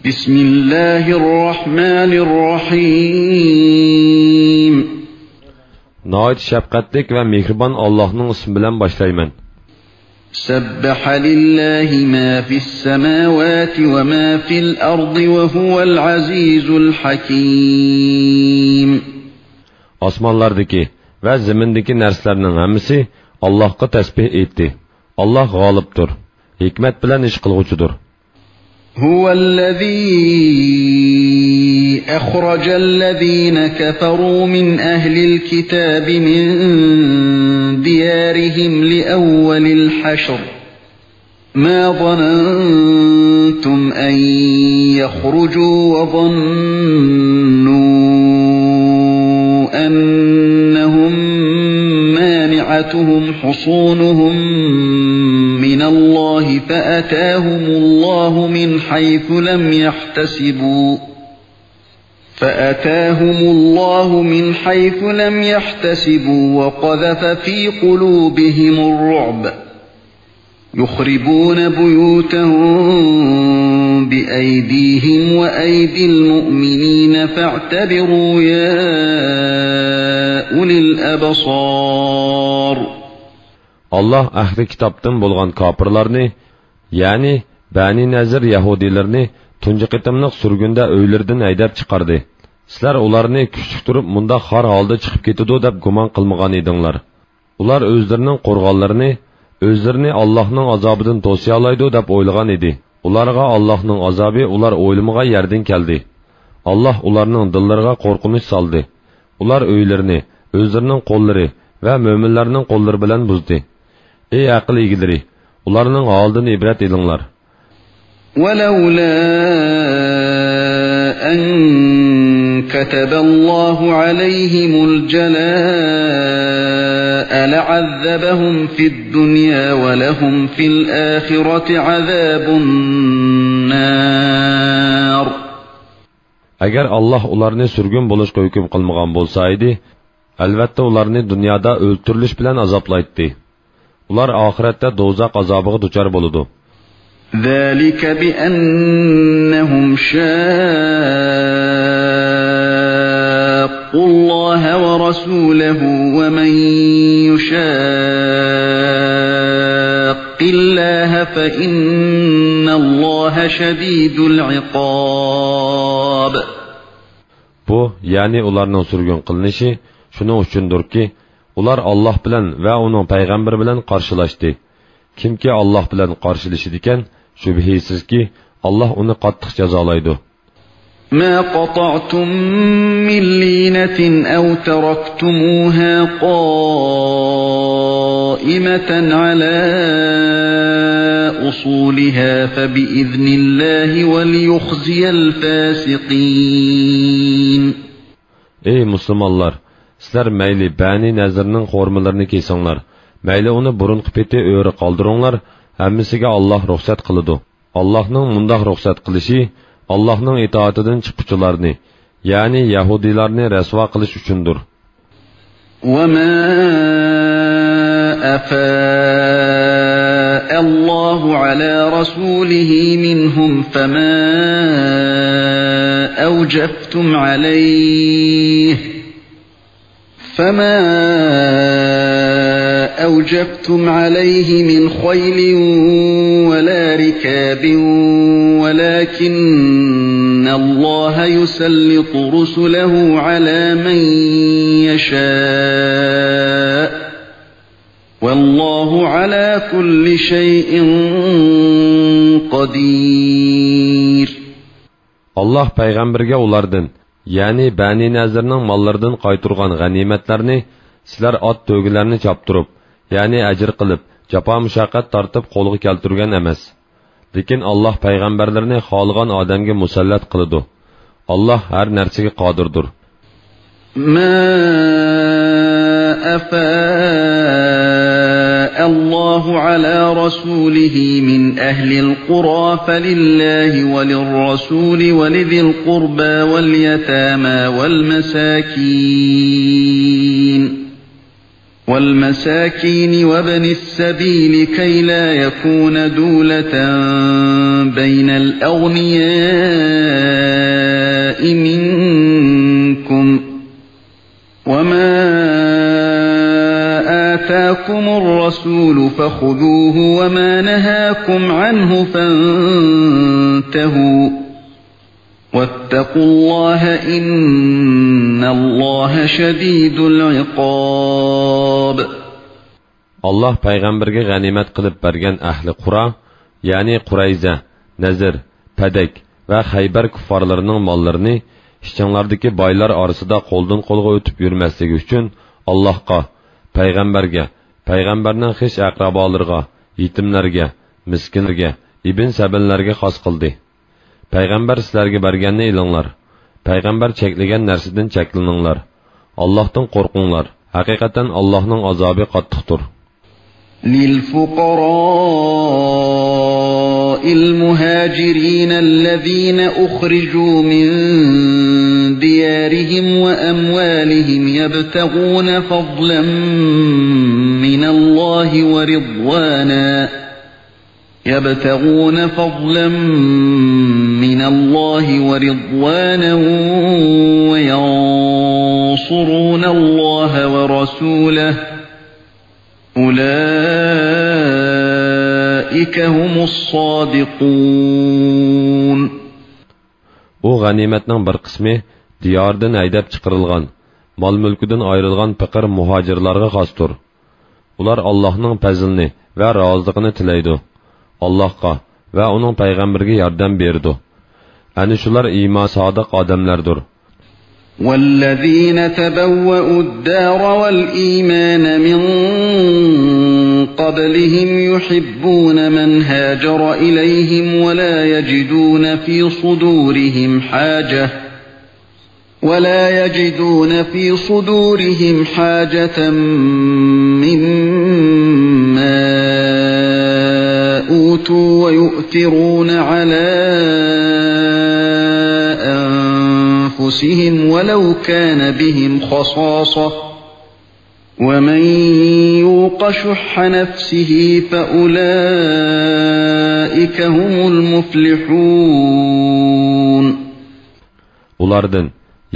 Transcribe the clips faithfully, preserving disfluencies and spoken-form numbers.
بسم الله الرحمن الرحيم. ناھايىتى شەپقەتلىك ۋە مېھرىبان ئاللاھنىڭ ئىسمى بىلەن باشلايمەن. سبح لله ما في السماوات وما في الأرض وهو العزيز الحكيم. ئاسمانلاردىكى ۋە زېمىندىكى نەرسىلەرنىڭ ھەممىسى ئاللاھقا تەسبىھ ئېيتتى. ئاللاھ غالىبتۇر، ھېكمەت بىلەن ئىش قىلغۇچىدۇر. هو الذي أخرج الذين كفروا من أهل الكتاب من ديارهم لأول الحشر ما ظننتم أن يخرجوا وظنوا أنهم مانعتهم حصونهم من الله فأتاهم الله من حيث لم يحتسبوا فأتاهم الله من حيث لم يحتسبوا وقذف في قلوبهم الرعب يخربون بيوتهم بأيديهم وأيدي المؤمنين فاعتبروا يا أولي الأبصار. ئاللاھ ئەھلى كىتابتىن بولغان كاپىرلارنى، يەنى بەنى نەزىر يەھۇدىيلىرىنى تۇنجى قېتىملىق سۈرگۈندە ئۆيلىرىدىن ھەيدەپ چىقاردى. سىلەر ئۇلارنى كۈچلۈك تۇرۇپ مۇنداق خار ھالدا چىقىپ كېتىدۇ دەپ گۇمان قىلمىغان ئىدىڭلار. ئۇلار ئۆزلىرىنىڭ قورغانلىرىنى، ئۆزلىرىنى ئاللاھنىڭ ئازابىدىن توسىيالايدۇ دەپ ئويلىغان ئىدى. ئۇلارغا ئاللاھنىڭ ئازابى ئۇلار ئويلىمىغان يەردىن كەلدى. ئاللاھ ئۇلارنىڭ دىللىرىغا قورقۇنچ سالدى. ئۇلار ئۆيلىرىنى ئۆزلىرىنىڭ قوللىرى ۋە مۆمىنلەرنىڭ قوللىرى بىلەن بۇزدى. ئەي ئەقىل ئىگىلىرى، ئۇلارنىڭ ھالىدىن ئىبرەت ئېلىڭلار. ولولا أن كتب الله عليهم الجلاء لعذبهم في الدنيا ولهم في الآخرة عذاب النار. ئەگەر ئاللاھ ئۇلارنى سۈرگۈن بولۇشقا ھۆكۈم قىلمىغان بولسا ئىدى، ئەلۋەتتە ئۇلارنى دۇنيادا ئۆلتۈرۈلۈش بىلەن ئازابلايتتى. ئۇلار ئاخىرەتتە دوزاخ ئازابىغا دۇچار بولىدۇ. ذلك بأنهم شاقوا الله ورسوله ومن يشاق الله فإن الله شديد العقاب. بۇ، يەنى ئۇلارنىڭ سۈرگۈن قىلىنىشى شۇنىڭ ئۈچۈندۇركى، ئۇلار ئاللاھ بىلەن ۋە ئۇنىڭ پەيغەمبىرى بىلەن قارشىلاشتى. كىمكى ئاللاھ بىلەن قارشىلىشىدىكەن، شۈبھىسىزكى، ئاللاھ ئۇنى قاتتىق جازالايدۇ. ما قطعتم من لينة أو تركتموها قائمة على أصولها فبإذن الله وليخزي الفاسقين. ئەي مۇسۇلمانلار، سىلەر مەيلى بەنى نەزىرنىڭ خورمىلىرىنى كېسىڭلار، مەيلى ئۇنى بۇرۇنقى پېتى ئۆرە قالدۇرۇڭلار، ھەممىسىگە ئاللاھ رۇخسەت قىلىدۇ. ئاللاھنىڭ مۇنداق رۇخسەت قىلىشى ئاللاھنىڭ ئىتائىتىدىن چىققۇچىلارنى، يەنى يەھۇدىيلارنى رەسۋا قىلىش ئۈچۈندۇر. وما أفاء الله على رسوله منهم فما أوجفتم عليه فما أوجفتم عليه من خيل ولا ركاب ولكن الله يسلط رسله على من يشاء والله على كل شيء قدير. ئاللاھ پەيغەمبەرگە ئۇلاردىن، يەنى بەنى نەزىرنىڭ ماللىرىدىن قايتۇرغان غەنىيمەتلەرنى سىلەر ئات تۆگىلەرنى چاپتۇرۇپ، يەنى ئەجىر قىلىپ، جاپا-مۇشەققەت تارتىپ قولغا كەلتۈرگەن ئەمەس. لېكىن ئاللاھ پەيغەمبەرلىرىنى خالىغان ئادەمگە مۇسەللەت قىلىدۇ. ئاللاھ ھەر نەرسىگە قادىردۇر. ما أفاء الله على رسوله من أهل القرى فلله وللرسول ولذي القربى واليتامى والمساكين والمساكين وابن السبيل كي لا يكون دولة بين الأغنياء منكم، وما آتاكم الرسول فخذوه وما نهاكم عنه فانتهوا، واتقوا الله إن الله شديد العقاب. ئاللاھ پەيغەمبەرگە غەنىيمەت قىلىپ بەرگەن ئەھلى قۇرا، يەنى قۇرەيزە، نەزىر، پەدەك ۋە خەيبەر كۇففارلىرىنىڭ ماللىرىنى ئىچىڭلاردىكى بايلار ئارىسىدا قولدىن قولغا ئۆتۈپ يۈرمەسلىكى ئۈچۈن ئاللاھقا، پەيغەمبەرگە، پەيغەمبەرنىڭ خىش ئەقرىبالىرىغا، يېتىملەرگە، مىسكىنلەرگە، ئىبن سەبىللەرگە خاس قىلدى. پەيغەمبەر سىلەرگە بەرگەننى ئېلىڭلار. پەيغەمبەر چەكلىگەن نەرسىدىن چەكلىنىڭلار. ئاللاھتىن قورقۇڭلار. ھەقىقەتەن ئاللاھنىڭ ئازابى قاتتىقتۇر. للفقراء المهاجرين الذين أخرجوا من ديارهم وأموالهم يبتغون فضلا من الله ورضوانا يبتغون فضلا من الله ورضوانا وينصرون الله ورسوله أولئك هم الصادقون. ئۇ غەنىيمەتنىڭ بىر قىسمى دىيارىدىن ھەيدەپ چىقىرىلغان، مال-مۈلكىدىن ئايرىلغان پېقىر مۇھاجىرلارغا خاستۇر. ئۇلار ئاللاھنىڭ پەزلىنى ۋە رازىلىقىنى تىلەيدۇ. ئاللاھقا ۋە ئۇنىڭ پەيغەمبىرىگە ياردەم بېرىدۇ. ئەنە شۇلار ئىمان سادىق ئادەملەردۇر. والذين تبوأوا الدار والإيمان من قبلهم يحبون من هاجر إليهم ولا يجدون في صدورهم حاجة ولا يجدون في صدورهم حاجة مما أوتوا ويؤثرون على أنفسهم ولو كان بهم خصاصة ومن يوق شح نفسه فأولئك هم المفلحون. ئۇلاردىن،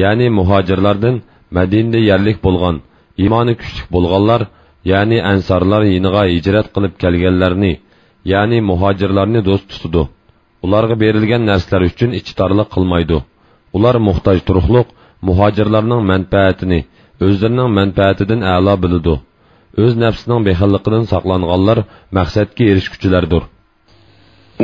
يەنى مۇھاجىرلاردىن مەدىنىدە يەرلىك بولغان، ئىمانى كۈچلۈك بولغانلار، يەنى ئەنسارلار يېنىغا ھىجرەت قىلىپ كەلگەنلەرنى، يەنى مۇھاجىرلارنى دوست تۇتىدۇ. ئۇلارغا بېرىلگەن نەرسىلەر ئۈچۈن ئىچى تارلىق قىلمايدۇ. ئۇلار موھتاج تۇرۇقلۇق، مۇھاجىرلارنىڭ مەنپەئەتىنى ئۆزلىرىنىڭ مەنپەئەتىدىن ئەلا بىلىدۇ. ئۆز نەپسىنىڭ بېخىللىقىدىن ساقلانغانلار مەقسەتكە ئېرىشكۈچىلەردۇر.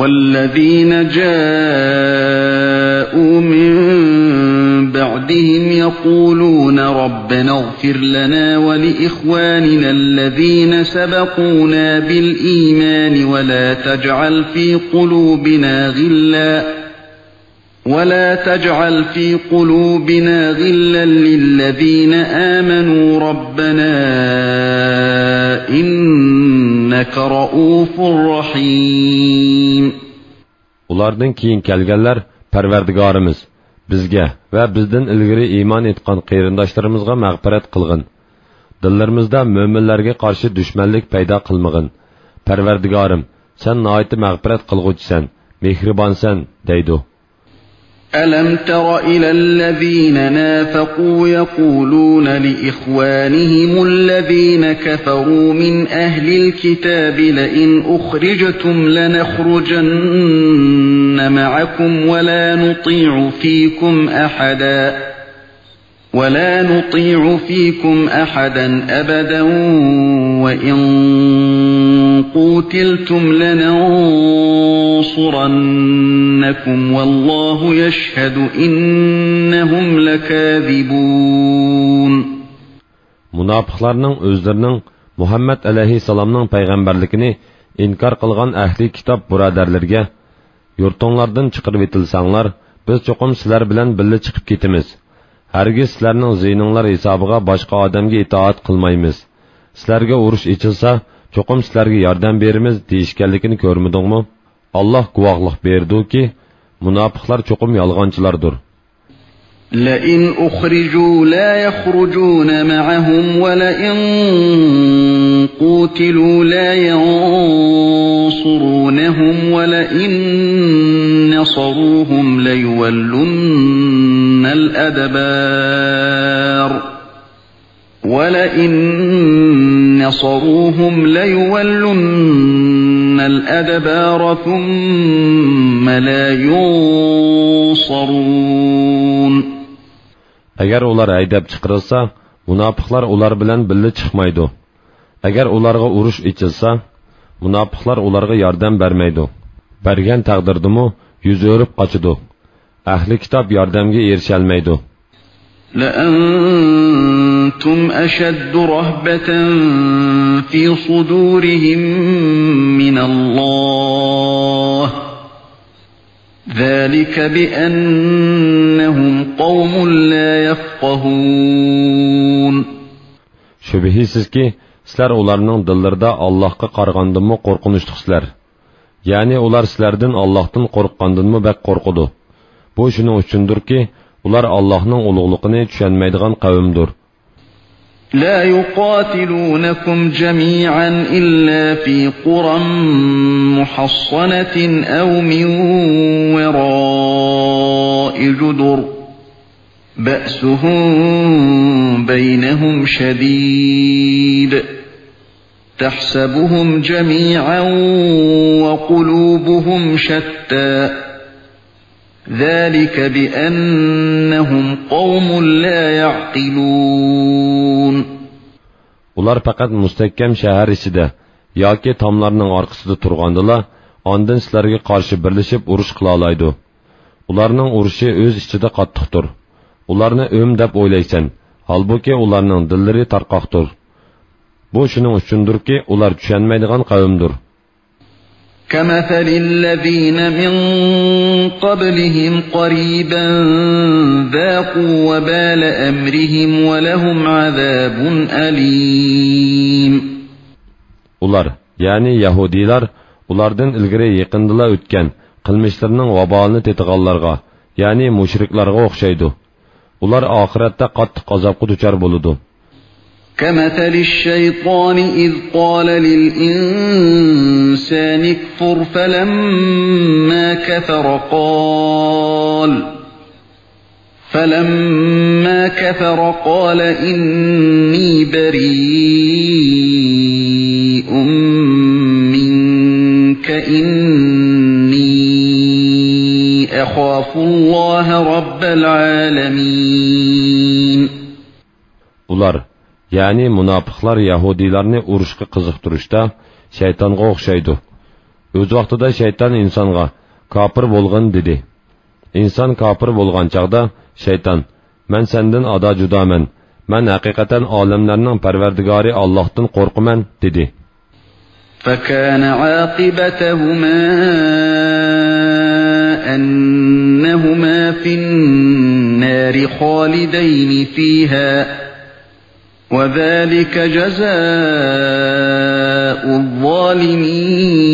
والذين جاءوا من بعدهم يقولون ربنا اغفر لنا ولإخواننا الذين سبقونا بالإيمان ولا تجعل في قلوبنا غلا ولا تجعل في قلوبنا غلا للذين آمنوا ربنا إنك رءوف رحيم. ئۇلاردىن كېيىن كەلگەنلەر، پەرۋەردىگارىمىز، بىزگە ۋە بىزدىن ئىلگىرى ئىمان ئېيتقان قېرىنداشلىرىمىزغا مەغپىرەت قىلغىن. دىللىرىمىزدا مۆمىنلەرگە قارشى دۈشمەنلىك پەيدا قىلمىغىن. پەرۋەردىگارىم، سەن ناھايىتى مەغپىرەت قىلغۇچىسەن، مېھرىبانسەن، دەيدۇ. ألم تر إلى الذين نافقوا يقولون لإخوانهم الذين كفروا من أهل الكتاب لئن أخرجتم لنخرجن معكم ولا نطيع فيكم أحدا ولا نطيع فيكم أحدا أبدا وإن قوتلتم لننصرنكم والله يشهد إنهم لكاذبون. مۇناپىقلارنىڭ ئۆزلىرىنىڭ مۇھەممەد ئەلەيھىسسالامنىڭ پەيغەمبەرلىكىنى ئىنكار قىلغان ئەھلى كىتاب بۇرادەرلىرىگە، يۇرتۇڭلاردىن چىقىرىۋېتىلسەڭلار، بىز چوقۇم سىلەر بىلەن بىللە چىقىپ كېتىمىز. ھەرگىز سىلەرنىڭ زىيىنىڭلار ھېسابىغا باشقا ئادەمگە ئىتائەت قىلمايمىز. سىلەرگە ئۇرۇش ئېچىلسا، چوقۇم سىلەرگە ياردەم بېرىمىز، دېيىشكەنلىكىنى كۆرمىدىڭمۇ؟ ئاللاھ گۇۋاھلىق بېرىدۇكى، مۇناپىقلار چوقۇم يالغانچىلاردۇر. لئن أخرجوا لا يخرجون معهم ولئن قوتلوا لا ينصرونهم ولئن نصروهم ليولن الأدبار. ولئن نصروهم ليولن الأدبار ثم لا ينصرون. ئەگەر ئۇلار ھەيدەپ چىقىرىلسا، مۇناپىقلار ئۇلار بىلەن بىللە چىقمايدۇ. ئەگەر ئۇلارغا ئۇرۇش ئېچىلسا، مۇناپىقلار ئۇلارغا ياردەم بەرمەيدۇ. بەرگەن تەقدىردىمۇ يۈز ئۆرۈپ قاچىدۇ. ئەھلى كىتاب ياردەمگە ئېرىشەلمەيدۇ. لأنتم أشد رهبة في صدورهم من الله، ذلك بأنهم قوم لا يفقهون. شۈبھىسىزكى، سىلەر ئۇلارنىڭ دىللىرىدا ئاللاھقا قارىغاندىنمۇ قورقۇنچلۇقسىلەر. يەنى ئۇلار سىلەردىن ئاللاھتىن قورققاندىنمۇ بەك قورقىدۇ. بۇ شۇنىڭ ئۈچۈندۇركى، ئۇلار ئاللاھنىڭ ئۇلۇغلۇقىنى چۈشەنمەيدىغان قەۋمدۇر. لا يقاتلونكم جميعا إلا في قرى محصنة أو من وراء جدر بأسهم بينهم شديد تحسبهم جميعا وقلوبهم شتى ذلك بأنهم قوم لا يعقلون. ئۇلار پەقەت مۇستەھكەم شەھەر ئىچىدە ياكى تاملارنىڭ ئارقىسىدا تۇرغاندىلا، ئاندىن سىلەرگە قارشى بىرلىشىپ ئۇرۇش قىلالايدۇ. ئۇلارنىڭ ئۇرۇشى ئۆز ئىچىدە قاتتىقتۇر. ئۇلارنى ئۆم دەپ ئويلايسەن، ھالبۇكى، ئۇلارنىڭ دىللىرى تارقاقتۇر. بۇ شۇنىڭ ئۈچۈندۇركى، ئۇلار چۈشەنمەيدىغان قەۋمدۇر. كمثل الذين من قبلهم قريبا ذاقوا وبال أمرهم ولهم عذاب أليم. ئۇلار، يەنى يەھۇدىيلار، ئۇلاردىن ئىلگىرى يېقىندىلا ئۆتكەن قىلمىشلىرىنىڭ ۋابالىنى تېتىغانلارغا، يەنى مۇشرىكلارغا ئوخشايدۇ. ئۇلار ئاخىرەتتە قاتتىق ئازابقا دۇچار بولىدۇ. كمثل الشيطان إذ قال للإنسان اكفر فلما كفر قال، فلما كفر قال إني بريء منك إني أخاف الله رب العالمين. ئۇلار، يەنى مۇناپىقلار يەھۇدىيلارنى ئۇرۇشقا قىزىقتۇرۇشتا شەيتانغا ئوخشايدۇ. ئۆز ۋاقتىدا شەيتان ئىنسانغا، كاپىر بولغىن، دېدى. ئىنسان كاپىر بولغان چاغدا شەيتان، مەن سەندىن ئادا جۇدامەن، مەن ھەقىقەتەن ئالەملەرنىڭ پەرۋەردىگارى ئاللاھتىن قورقىمەن، دېدى. فكان عاقبتهما أنهما في النار خالدين فيها وذلك جزاء الظالمين.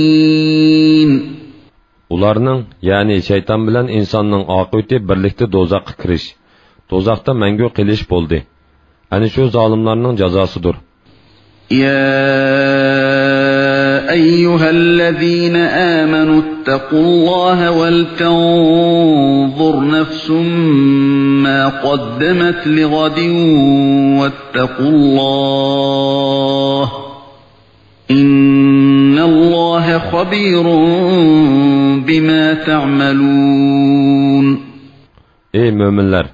ئۇلارنىڭ، يەنى شەيتان بىلەن ئىنساننىڭ ئاقىۋىتى بىرلىكتە دوزاخقا كىرىش، دوزاختا مەڭگۈ قېلىش بولدى. ئەنە شۇ زالىملارنىڭ جازاسىدۇر. يا أيها الذين آمنوا اتقوا الله ولتنظر نفس ما قدمت لغد واتقوا الله إن الله خبير بما تعملون. ئەي مۆمىنلەر!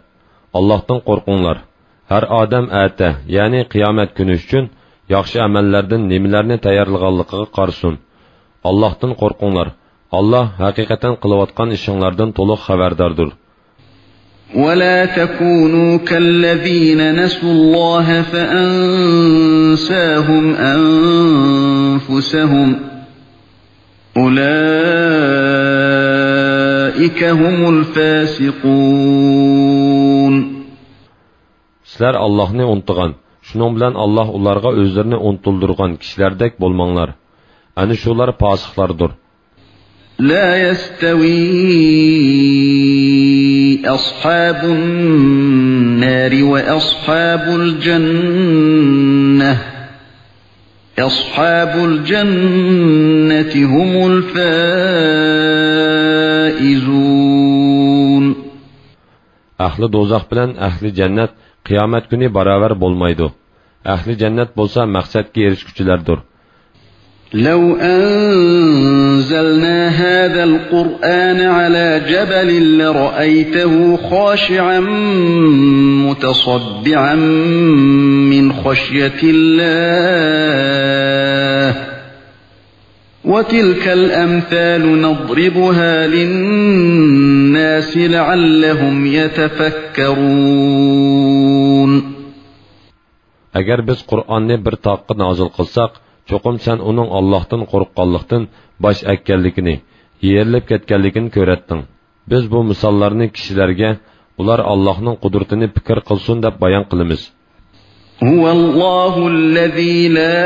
ئاللاھتىن قورقۇڭلار. ھەر ئادەم ئەتە، يەنى قىيامەت كۈنى ئۈچۈن ياخشى ئەمەللەردىن نېمىلەرنى تەييارلىغانلىقىغا قارىسۇن. ئاللاھتىن قورقۇڭلار. ئاللاھ ھەقىقەتەن قىلىۋاتقان ئىشىڭلاردىن تولۇق خەۋەرداردۇر. ولا تكونوا كالذين نسوا الله فأنساهم أنفسهم أولئك هم الفاسقون. سىلەر ئاللاھنى ئۇنتۇغان، شۇنىڭ بىلەن ئاللاھ ئۇلارغا ئۆزلىرىنى ئۇنتۇلدۇرغان كىشىلەردەك بولماڭلار. ئەنە شۇلار پاسىقلاردۇر. لا يستوي أصحاب النار وأصحاب الجنة أصحاب الجنة هم الفائزون. ئەھلى دوزاخ بىلەن ئەھلى جەننەت قىيامەت كۈنى باراۋەر بولمايدۇ. ئەھلى جەننەت بولسا مەقسەتكە ئېرىشكۈچىلەردۇر. لو أنزلنا هذا القرآن على جبل لرأيته خاشعا متصدعا من خشية الله. وتلك الأمثال نضربها للناس لعلهم يتفكرون. ئەگەر بىز قۇرئاننى بىر تاغقا نازىل قىلساق، چوقۇم سەن ئۇنىڭ ئاللاھتىن قورققانلىقتىن باش ئەگكەنلىكىنى، يېرىلىپ كەتكەنلىكىنى كۆرەتتىڭ. بىز بۇ مىساللارنى كىشىلەرگە، ئۇلار ئاللاھنىڭ قۇدرىتىنى پىكىر قىلسۇن دەپ بايان قىلىمىز. هو الله الذي لا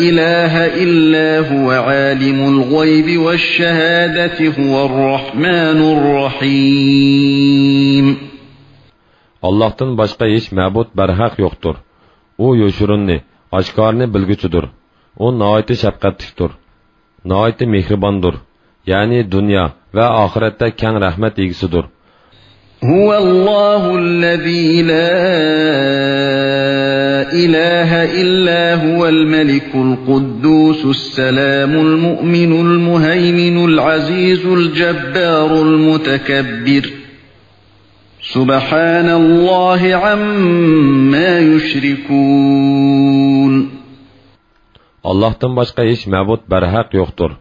إله إلا هو عالم الغيب والشهادة هو الرحمن الرحيم. ئاللاھتىن باشقا ھېچ مەبۇد بەرھەق يوقتۇر. ئۇ يوشۇرۇننى، ئاشكارىنى بىلگۈچىدۇر. ئۇ ناھايىتى شەپقەتلىكتۇر، ناھايىتى مېھرىباندۇر. يەنى دۇنيا ۋە ئاخىرەتتە كەڭ رەھمەت ئىگىسىدۇر. هو الله الذي لا إله إلا هو الملك القدوس السلام المؤمن المهيمن العزيز الجبار المتكبر. سبحان الله عما يشركون. ئاللاھتىن باشقا ھېچ مەبۇد بەرھەق يوقتۇر.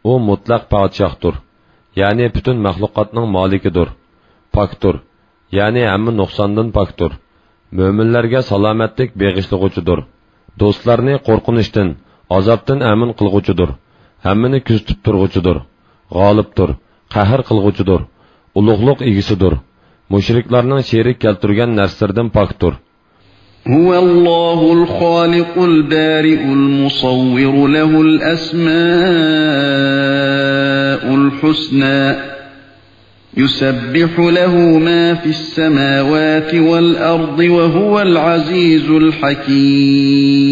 ئۇ مۇتلەق پادىشاھتۇر، يەنى پۈتۈن مەخلۇقاتنىڭ مالىكىدۇر. پاكتۇر، يەنى ھەممە نۇقساندىن پاكتۇر. مۆمىنلەرگە سالامەتلىك بېغىشلىغۇچىدۇر. دوستلارنى قورقۇنچتىن، ئازابتىن ئەمىن قىلغۇچىدۇر. ھەممىنى كۆزىتىپ تۇرغۇچىدۇر. غالىبتۇر، قەھر قىلغۇچىدۇر. ئۇلۇغلۇق ئىگىسىدۇر. مۇشرىكلارنىڭ شېرىك كەلتۈرگەن نەرسىلىرىدىن پاكتۇر. هو الله الخالق البارئ المصور له الأسماء الحسنى. يسبح له ما في السماوات والأرض وهو العزيز الحكيم.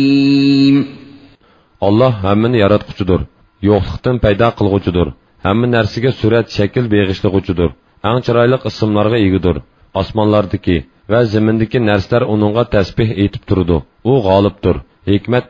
ئاللاھ ھەممىنى ياراتقۇچىدۇر، يوقلۇقتىن پەيدا قىلغۇچىدۇر، ھەممە نەرسىگە سۈرەت، شەكىل بېغىشلىغۇچىدۇر، ئەڭ چىرايلىق ئىسىملارغا ئىگىدۇر. ئاسمانلاردىكى ۋە زېمىندىكى نەرسىلەر ئۇنىڭغا تەسبىھ ئېيتىپ تۇرىدۇ. ئۇ غالىبتۇر، ھېكمەت